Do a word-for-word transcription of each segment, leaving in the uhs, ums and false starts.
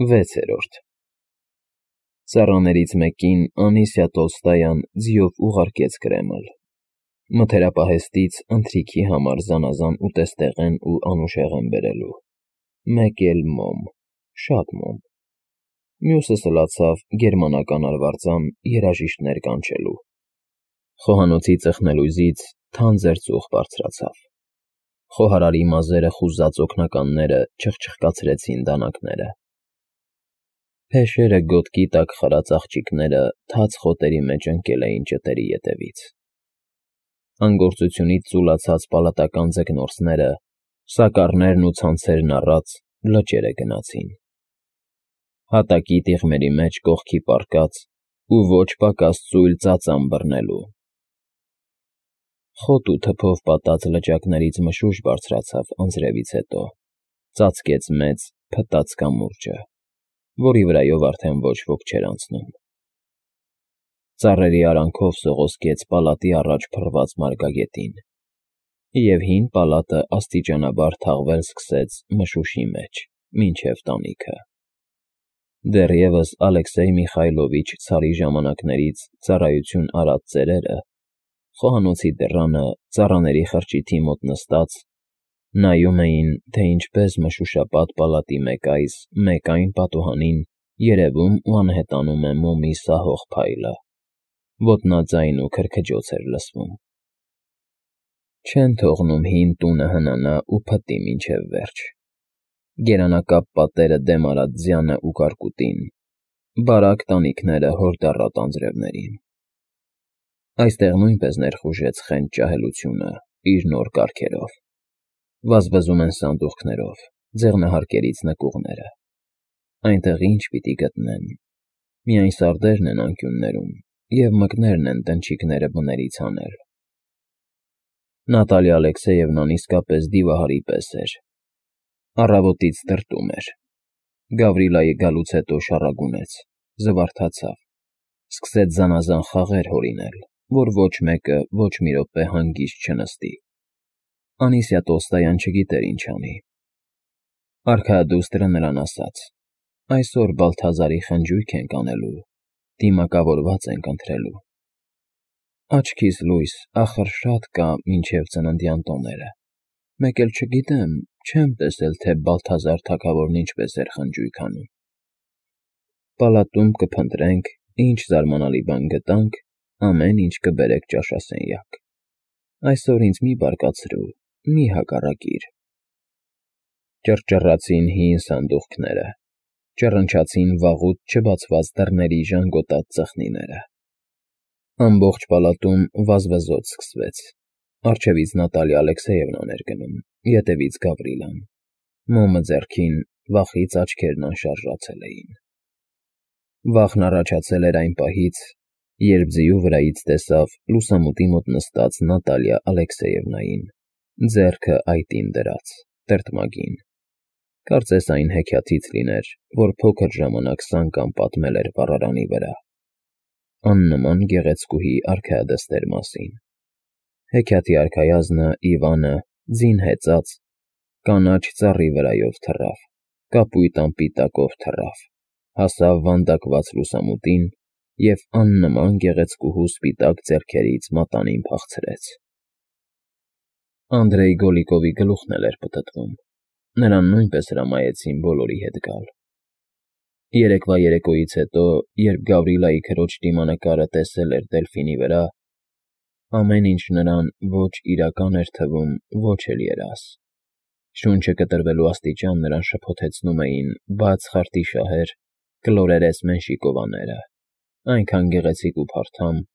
վեցերորդ Ծառաներից մեկին Անիսիա Տոլստոյան ձիով ուղարկեց Կրեմլ, մթերապահեստից ընթրիքի համար զանազան ուտեստեղեն ու անուշեղեն բերելու, մեկ էլ մոմ, շատ մոմ, մյուսը սլացավ գերմանական արվարձան երաժիշտներ կանչելու, խոհանոցի ծխնելույզից թանձր ծուխ բարձրացավ, խոհարարի մազերը խուզած օգնականները չխչխկացրեցին դանակները, փեշերը գոտքի տակ խրած աղջիկները թաց խոտերի մեջ ընկել էին ճտերի ետևից, անգործությունից ծուլացած պալատական ձկնորսները, սակառներն ու ցանցերն առած, լճերը գնացին, հատակի տիղմերի մեջ կողքի պառկած ու ոչ պակաս ծույլ ծածան բռնելու, խոտ ու թփով պատած լճակներից մշուշ բարձրացավ անձրևից հետո, ծածկեց մեծ, փտած կամուրջը, որի վրայով արդեն ոչ ոք չէր անցնում, ծառերի արանքով սողոսկեց պալատի առաջ փռված մարգագետին, և հին պալատը աստիճանաբար թաղվել սկսեց մշուշի մեջ, մինչև տանիքը, դեռևս Ալեքսեյ Միխայլովիչ ցարի ժամանակներից ծառայություն արած ծերերը, խոհանոցի դռանը ծառաների խրճիթի մոտ նստած, նայում էին, թե ինչպես մշուշապատ պալատի մեկ այս, մեկ այն պատուհանին երևում ու անհետանում է մոմի սահող փայլը, ոտնաձայն ու քրքջոց էր լսվում, չեն թողնում հին տունը հնանա ու փտտի մինչև վերջ, գերանակապ պատերը դեմ արած ձյանը ու կարկուտին, բարակ տանիքները հորդառատ անձրևներին, այստեղ նույնպես ներխուժեց խենթ ջահելությունը իր նոր կարգերով, վազվզում են սանդուղքներով, ձեղնահարկերից նկուղները, այնտեղ ինչ պիտի գտնեն, միայն սարդերն են անկյուններում և մկներն են տնչիկները բներից հանել, Նատալիա Ալեքսեևնան իսկապես դիվահարի պես էր, առավոտից տրտում էր, Գավրիլայի գալուց հետո շառագունեց, զվարթացավ, սկսեց զանազան խաղեր հորինել, որ ոչ մեկը ոչ մի րոպե հանգիստ չնստի, Անիսիա Տոլստոյան չգիտեր ինչ անի, արքայադուստրը նրան ասաց. այսօր Բալթազարի խնջույք ենք անելու, դիմակավորված ենք ընտրելու, աչքիս լույս, ախր շատ կա մինչև ծննդյան տոները, մեկ էլ չգիտեմ, չեմ տեսել, թե Բալթազար թագավորն ինչպես էր խնջույք անում, պալատում կփնտրենք, ինչ զարմանալի բան գտանք, ամեն ինչ կբերեք ճաշասենյակ, այսօր ինձ մի բարկացրու, մի հակառակիր, ճռճռացին հին սանդուղքները, ճռնչացին վաղուց չբացված դռների ժանգոտած ծխնիները, ամբողջ պալատում վազվզոտ սկսվեց, առջևից Նատալիա Ալեքսեևնան էր գնում, ետևից Գավրիլան, մոմը ձեռքին, վախից աչքերն անշարժացել էին, վախն առաջացել էր այն պահից, երբ ձիու վրայից տեսավ լուսամուտի մոտ նստած Նատալիա Ալեքսեևնային, ձեռքը այտին դրած, տրտմագին, կարծես այն հեքիաթից լիներ, որ փոքր ժամանակ Սանկան պատմել էր վառարանի վրա, աննման գեղեցկուհի արքայադստեր մասին, հեքիաթի արքայազնը Իվանը, ձին հեծած, կանաչ ծառի վրայով թռավ, կապույտ անպիտակով թռավ, հասավ վանդակված լուսամուտին և աննման գեղեցկուհու սպիտակ ձեռքերից մատանին փախցրեց, Անդրեյ Գոլիկովի գլուխն էլ էր պտտվում, նրան նույնպես հրամայեցին բոլորի հետ գալ, երեկվա երեկոյից հետո, երբ Գավրիլայի քրոջ դիմանկարը տեսել էր Դելֆինի վրա, ամեն ինչ նրան ոչ իրական էր թվում, ոչ էլ երազ, շունչը կտրվելու աստիճան նրան շփոթեցնում էին բաց խարտիշահեր, կլորերես մենշիկովաները, այնքան գեղեցիկ ու փարթամ,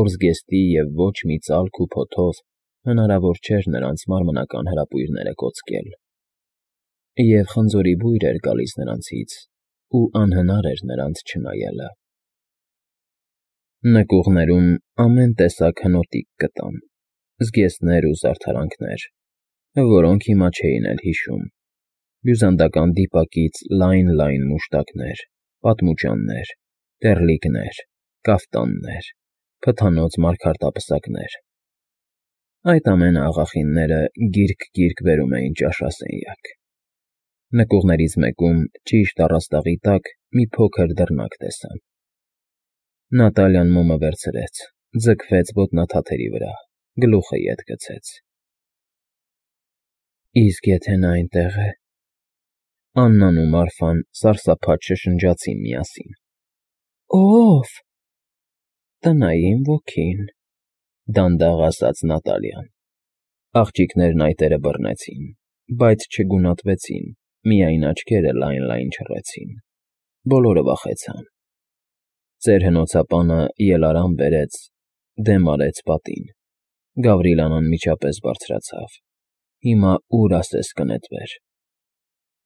որ զգեստի և ոչ մի ծալք ու փոթով հնարավոր չէր նրանց մարմնական հրապույրները կոծկել, և խնձորի բույր էր գալիս նրանցից, ու անհնար էր նրանց չնայելը, նկուղներում ամեն տեսակ հնոտիկ գտան, զգեստներ ու զարդարանքներ, որոնք հիմա չէին էլ հիշում, բյուզանդական դիպակից լայն-լայն մուշտակներ, պատմուճաններ, տեռլիկներ, կաֆտաններ, փթանոց մարգարտապսակներ, այդ ամենը աղախինները գիրք-գիրք բերում էին ճաշասենյակ, Նկուղներից մեկում, ճիշտ առաստաղի տակ, մի փոքր դռնակ տեսան։ Նատալիան մոմը վերցրեց, ձգվեց ոտնաթաթերի վրա, գլուխը ետ գցեց։ Իսկ եթե նա այնտեղ է… Աննան ու Մարֆան սարսափած շշնջացին միասին։ Ո՞վ… Տնային ոգին, դանդաղ ասաց Նատալիան։ Աղջիկներն այտերը բռնեցին, բայց չգունատվեցին, միայն աչքերը լայն֊լայն չռեցին։ Բոլորը վախեցան։ Ծեր հնոցապանը ելարան բերեց, դեմ արեց պատին։ Գավրիլան անմիջապես բարձրացավ։ Հիմա ուր ասես կնետվեր։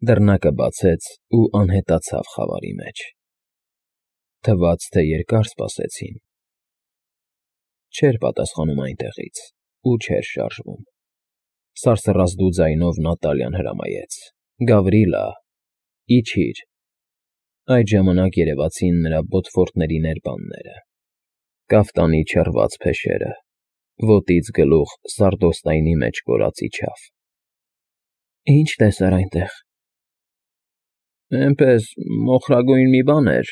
Դռնակը բացեց ու անհետացավ խավարի մեջ։ Թվաց, թե երկար սպասեցին։ Չէր պատասխանում այնտեղից ու չէր շարժվում։ Սարսռազդու ձայնով Նատալիան հրամայեց. Գավրիլա, իջիր։ Այդ ժամանակ երևացին նրա բոթֆորտների ներբանները, կաֆտանի չռված փեշերը, ոտից գլուխ սարդոստայնի մեջ կորած իջավ։ Ի՞նչ տեսար այնտեղ։ Էնպես մոխրագույն մի բան էր,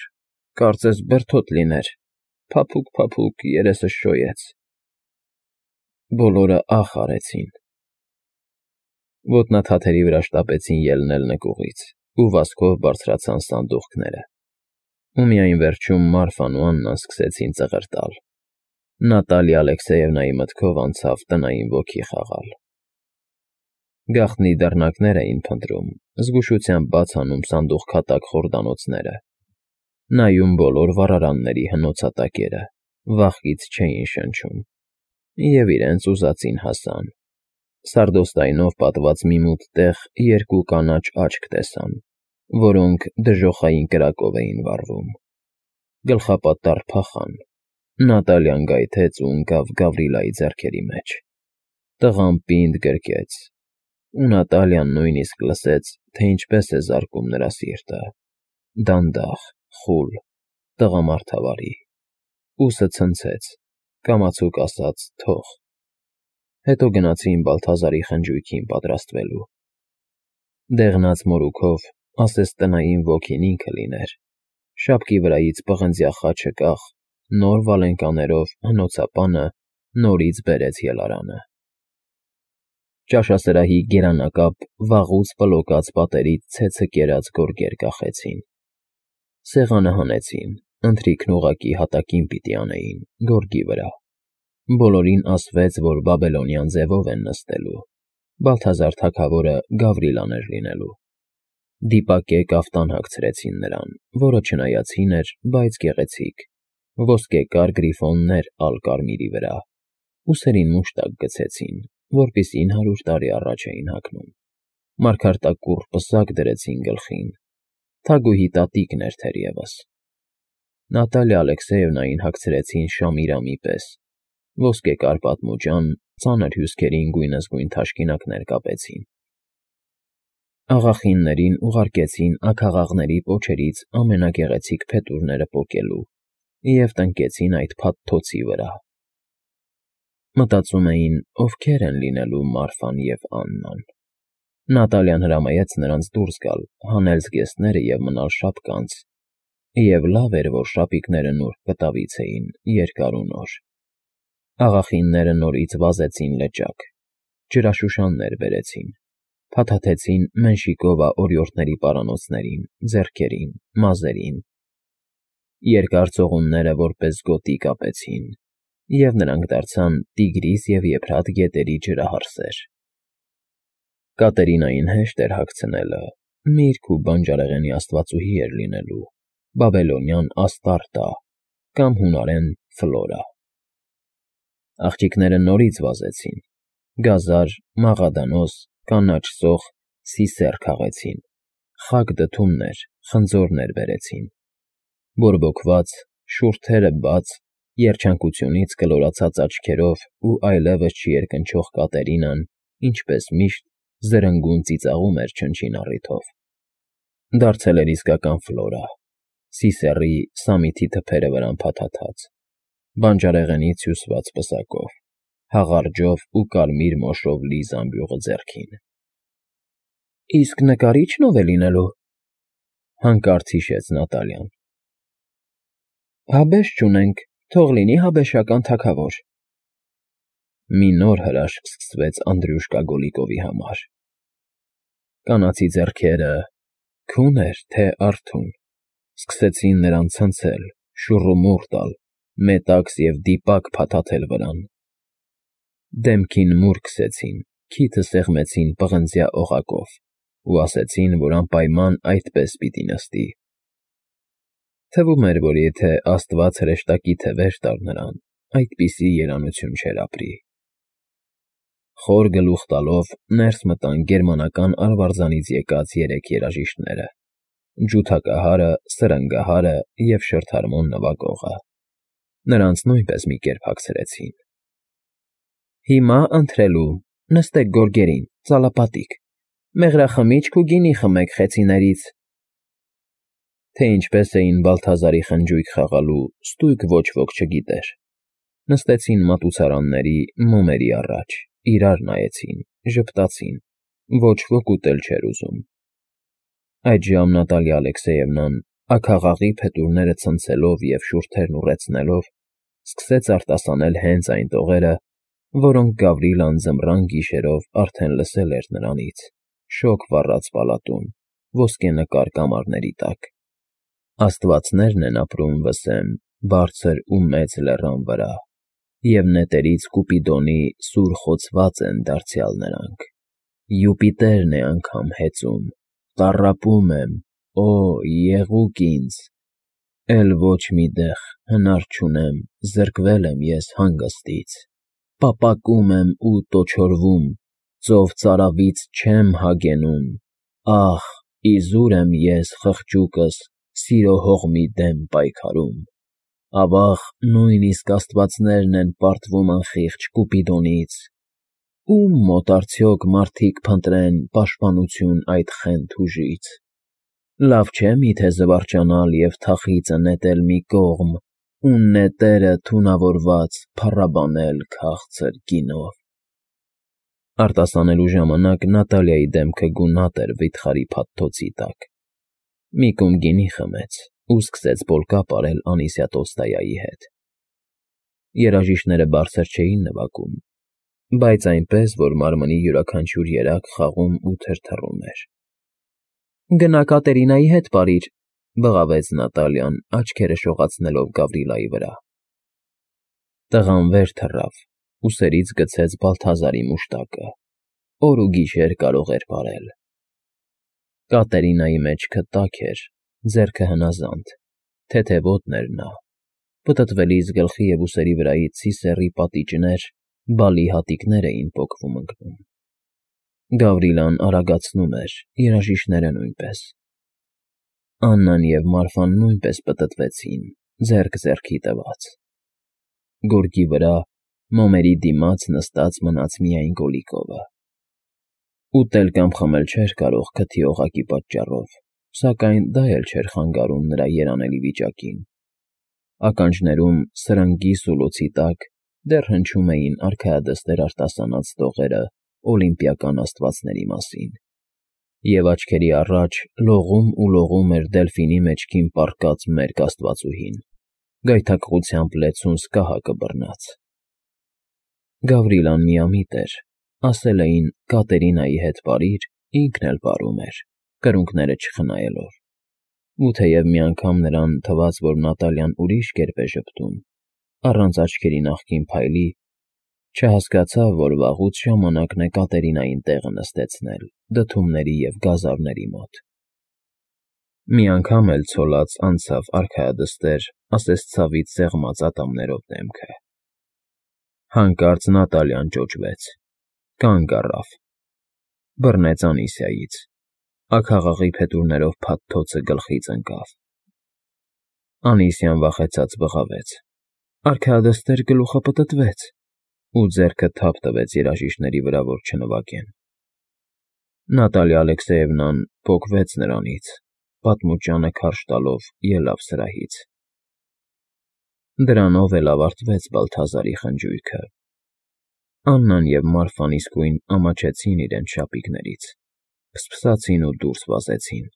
կարծես բրդոտ լիներ, փափուկ֊փափուկ երեսը շոյեց։ Բոլորը ախ արեցին։ Ոտնաթաթերի վրա շտապեցին ելնել նկուղից ու վազքով բարձրացան սանդուղքները։ Ու միայն վերջում Մարֆան ու Աննան սկսեցին ծղր տալ։ Նատալիա Ալեքսեևնայի մտքով անցավ տնային ոգի խաղալ։ Գաղտնի դռնակներ էին փնտրում, զգուշությամբ բաց անում սանդուղքատակ խորդանոցները, նայում բոլոր վառարանների հնոցատակերը, վախից չէին շնչում, և իրենց ուզածին հասան։ Սարդոստայնով պատված մի մութ տեղ երկու կանաչ աչք տեսան, որոնք դժոխային կրակով էին վառվում։ Գլխապատառ փախան։ Նատալիան գայթեց ու ընկավ Գավրիլայի ձեռքերի մեջ։ Տղան պինդ գրկեց, ու Նատալիան նույնիսկ լսեց, թե ինչպես է զարկում նրա սիրտը, դանդաղ, խուլ, տղամարդավարի։ Ուսը ցնցեց, կամացուկ ասաց՝ թող։ Հետո գնացին Բալթազարի խնջույքին պատրաստվելու։ Դեղնած մորուքով, ասես տնային ոգին ինքը լիներ, շապկի վրայից պղնձյա խաչը կախ, նոր վալենկաներով հնոցապանը նորից բերեց ելարանը։ Ճաշասրահի գերանակապ, վաղուց պլոկած պատերից ցեցը կերած գորգեր կախեցին։ Սեղանը հանեցին, ընթրիքն ուղղակի հատակին պիտի անեին, գորգի վրա։ Բոլորին ասվեց, որ բաբելոնյան ձևով են նստելու։ Բալթազար թագավորը Գավրիլան էր լինելու։ Դիպակե կաֆտան հագցրեցին նրան, որը չնայած հին էր, բայց գեղեցիկ, ոսկեկար գրիֆոններ ալ կարմիրի վրա, ուսերին մուշտակ գցեցին, որպեսզի հարյուր տարի առաջ էին հագնում, մարգարտակուռ պսակ դրեցին գլխին, թագուհի տատիկն էր թերևս։ Նատալիա Ալեքսեևնային հագցրեցին շամիրամի պես, ոսկեկար պատմուջան, ծանր հյուսքերին գույնզգույն թաշկինակներ կապեցին։ Աղախիններին ուղարկեցին աքաղաղների պոչերից ամենագեղեցիկ փետուրները պոկելու և տնկեցին այդ փաթթոցի վրա։ Մտածում էին, ովքեր են լինելու Մարֆան և Աննան։ Նատալիան հրամայեց նրանց դուրս գալ, հանել զգեստները և մնալ շապկանց, և լավ էր, որ շապիկները նուրբ կտավից էին, երկար ու նոր։ Աղախինները նորից վազեցին լճակ, ջրաշուշաններ բերեցին, փաթաթեցին Մենշիկովա օրիորդների պարանոցներին, ձեռքերին, մազերին։ Երկար ծողունները որպես գոտի կապեցին, և նրանք դարձան Տիգրիս և Եփրատ գետերի ջրահարսեր։ Կատերինային հեշտ էր հագցնելը, միրգ ու բանջարեղենի աստվածուհի էր լինելու, բաբելոնյան Աստարտա կամ հունարեն Ֆլորա։ Աղջիկները նորից վազեցին, գազար, մաղադանոս, կանաչ սոխ, սիսեռ քաղեցին, խագ դդումներ, խնձորներ բերեցին։ Բորբոքված, շուրթերը բաց, երջանկությունից կլորացած աչքերով ու այլևս չերկնչող Կատերինան, ինչպես միշտ, զրնգուն ծիծաղում էր չնչին առիթով։ Դարձել էր իսկական Ֆլորա, Սիսեռի սամիթի թփերը վրան փաթաթած, բանջարեղենից հյուսված պսակով, հաղարջով ու կարմիր մոշով լի զամբյուղը ձեռքին։ Իսկ նկարիչ՞ն ով է լինելու,֊ հանկարծ հիշեց Նատալիան։ Հաբեշ չունենք, թող լինի հաբեշական թագավոր։ Մի նոր հրաշք սկսվեց Անդրյուշկա Գոլիկովի համար. կանացի ձեռքերը, քուներ թե արթուն, սկսեցին նրան ցնցել, շուռումուռ տալ, մետաքս և դիպակ փաթաթել վրան, դեմքին մուր քսեցին, քիթը սեղմեցին պղնձյա օղակով ու ասեցին, որ անպայման այդպես պիտի նստի։ Թվում էր, որ եթե աստված հրեշտակի թևեր տար նրան, այդպիսի երանություն չէր ապրի։ Խոր գլուխ տալով ներս մտան գերմանական արվարձանից եկած երեք երաժիշտները՝ ջութակահարը, սրնգահարը և շրթարմոն նվագողը։ Նրանց նույնպես մի կերպ հագցրեցին։ Հիմա ընթրելու, նստեք գորգերին, ծալապատիկ, մեղրախմիչք ու գինի խմեք խեցիներից։ Թե ինչպես էին Բալթազարի խնջույք խաղալու, ստույգ ոչ ոք չգիտեր։ Նստեցին մատուցարանների, մոմերի առաջ, իրար նայեցին, ժպտացին, ոչ ոք ուտել չէր ուզում։ Այդժամ Նատալիա Ալեքսեևնան, աքաղաղի փետուրները ցնցելով և շուրթերն ուռեցնելով, սկսեց արտասանել հենց այն տողերը, որոնք Գավրիլան ձմռան գիշերով արդեն լսել էր նրանից, շոգ վառած պալատում, ոսկենկար կամարների տակ։ Աստվածներն են ապրում, վսեմ, բարձր ու մեծ լեռան վրա, և նետերից Կուպիդոնի սուր խոցված են դարձյալ նրանք։ Յուպիտերն է անգամ հեծում, տառապում եմ, օ, եղուկ ինձ, էլ ոչ մի դեղ հնար չունեմ, զրկվել եմ ես հանգստից, պապակում եմ ու տոչորվում, ծով ծարավից չեմ հագենում, ախ, իզուր եմ ես խղճուկս սիրո հողմի դեմ պայքարում, ավաղ, նույնիսկ աստվածներն են պարտվում անխիղճ Կուպիդոնից, ո՞ւմ մոտ արդյոք մարդիկ փնտրեն պաշտպանություն այդ խենթ ուժից, լավ չէ՞ միթե զվարճանալ և թախիծը նետել մի կողմ ու նետերը թունավորված փառաբանել քաղցր գինով։ Արտասանելու ժամանակ Նատալիայի դեմքը գունատ էր վիթխարի փաթթոցի տակ։ Մի կում գինի խմեց ու սկսեց պոլկա պարել Անիսիա Տոլստոյայի հետ։ Երաժիշտները բարձր չէին նվագում, բայց այնպես, որ մարմնի յուրաքանչյուր երակ խաղում ու թրթռում էր։ Գնա Կատերինայի հետ պարիր, բղավեց Նատալիան, աչքերը շողացնելով Գավրիլայի վրա։ Տղան վեր թռավ, ուսերից գցեց Բալթազարի մուշտակը, օր ու գիշեր կարող էր պարել։ Կատերինայի մեջքը տաք էր, ձեռքը հնազանդ, թեթևոտն էր նա, պտտվելիս գլխի և ուսերի վրայից սիսեռի պատիճներ, բալի հատիկներ էին պոկվում ընկնում։ Գավրիլան արագացնում էր, երաժիշտները նույնպես։ Աննան և Մարֆան նույնպես պտտվեցին, ձեռք ձեռքի տված։ Գորգի վրա, մոմերի դիմաց նստած մնաց միայն Գոլիկովը։ Ուտել կամ խմել չէր կարող քթի օղակի պատճառով, սակայն դա էլ չէր խանգարում նրա երանելի վիճակին։ Ականջներում, սրնգի սուլոցի տակ, դեռ հնչում էին արքայադստեր արտասանած տողերը օլիմպիական աստվածների մասին, և աչքերի առաջ լողում ու լողում էր Դելֆինի մեջքին պառկած մերկ աստվածուհին, գայթակղությամբ լեցուն սկահակը բռնած։ Գավրիլան միամիտ էր, ասել էին Կատերինայի հետ պարիր, ինքն էլ պարում էր, կրունկները չխնայելով, ու թեև մի անգամ նրան թվաց, որ Նատալիան ուրիշ կերպ է ժպտում, առանց աչքերի նախկին փայլի, չհասկացավ, որ վաղուց ժամանակն է Կատերինային տեղը նստեցնել դդումների և գազարների մոտ։ Մի անգամ էլ ցոլած անցավ արքայադստեր, ասես ցավից սեղմած ատամներով դեմքը։ Հանկարծ Նատալիան ճոճվեց, կանգ առավ, բռնեց Անիսիայից, աքաղաղի փետուրներով փաթթոցը գլխից ընկավ։ Անիսիան վախեցած բղավեց. արքայադստեր գլուխը պտտվեց, ու ձեռքը թափ տվեց երաժիշտների վրա, որ չնվագեն։ Նատալիա Ալեքսեևնան պոկվեց նրանից, պատմուճանը քարշ տալով ելավ սրահից։ Դրանով էլ ավարտվեց Բալթազարի խնջույքը։ Աննան և Մարֆան իսկույն ամաչեցին իրենց շապիկներից, Փսփսացին ու դուրս վազեցին։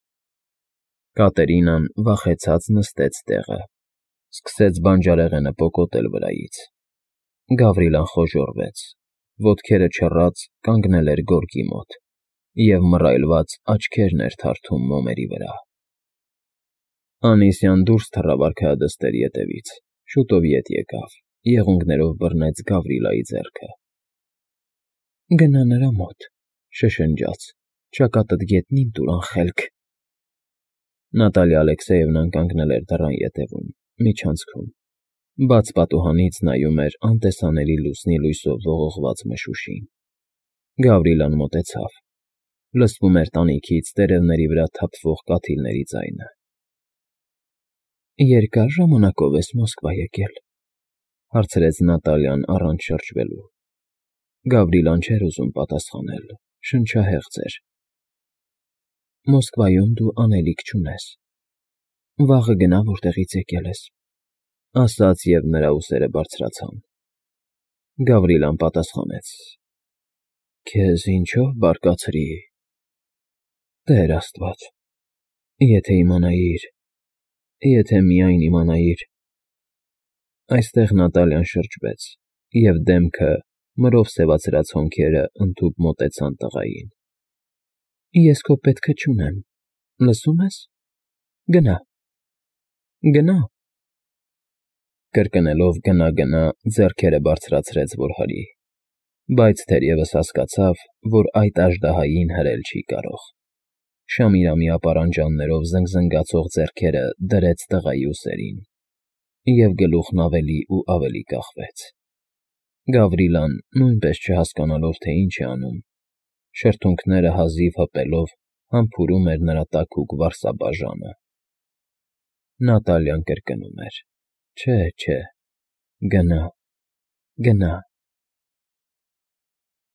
Կատերինան վախեցած նստեց տեղը, սկսեց բանջարեղենը պոկոտել վրայից։ Գավրիլան խոժոռվեց, ոտքերը չռած կանգնել էր գորգի մոտ և մռայլված աչքերն էր թարթում մոմերի վրա։ Անիսյան դուրս թռավ արքայադստերի ետևից, շուտով ետ եկավ, եղունգներով բռնեց Գավրիլայի ձեռքը։ ֊ Գնա նրա մոտ, շշնջաց, ճակատդ գետնին տուր, անխելք… Նատալիա Ալեքսեևնան կանգնել էր դռան ետևում, միջանցքում, բաց պատուհանից նայում էր անտեսանելի լուսնի լույսով ողողված մշուշին։ Գավրիլան մոտեցավ, լսվում էր տանիքից տերևների վրա թափվող կաթիլների ձայնը։ ֊ Երկա՞ր ժամանակով ես Մոսկվա եկել,֊ հարցրեց Նատալիան առանց շրջվելու։ Գավրիլան չէր ուզում պատասխանել, շնչահեղձ էր։ ֊ Մոսկվայում դու անելիք չունես, վաղը գնա, որտեղից եկել ես,֊ ասաց, և նրա ուսերը բարձրացան։ Գավրիլան պատասխանեց. Քեզ ինչո՞վ բարկացրի… Տեր Աստված, եթե իմանայիր, եթե միայն իմանայիր… Այստեղ Նատալիան շրջվեց, և դեմքը, մրով սևացրած հոնքերը ընդհուպ մոտեցան տղային։ ֊ Ես քո պետքը չունեմ, լսո՞ւմ ես, գնա, գնա… Կրկնելով «գնա, գնա», ձեռքերը բարձրացրեց, որ հրի, բայց թերևս հասկացավ, որ այդ աժդահային հրել չի կարող։ Շամիրամի ապարանջաններով զնգզնգացող ձեռքերը դրեց տղայի ուսերին, և գլուխն ավելի ու ավելի կախվեց։ Գավրիլան, նույնպես չհասկանալով, թե ինչ է անում, շրթունքները հազիվ հպելով, համբուրում էր նրա տաքուկ վարսաբաժանը։ Նատալիան կրկնում էր. «Չէ, չէ, գնա, գնա»։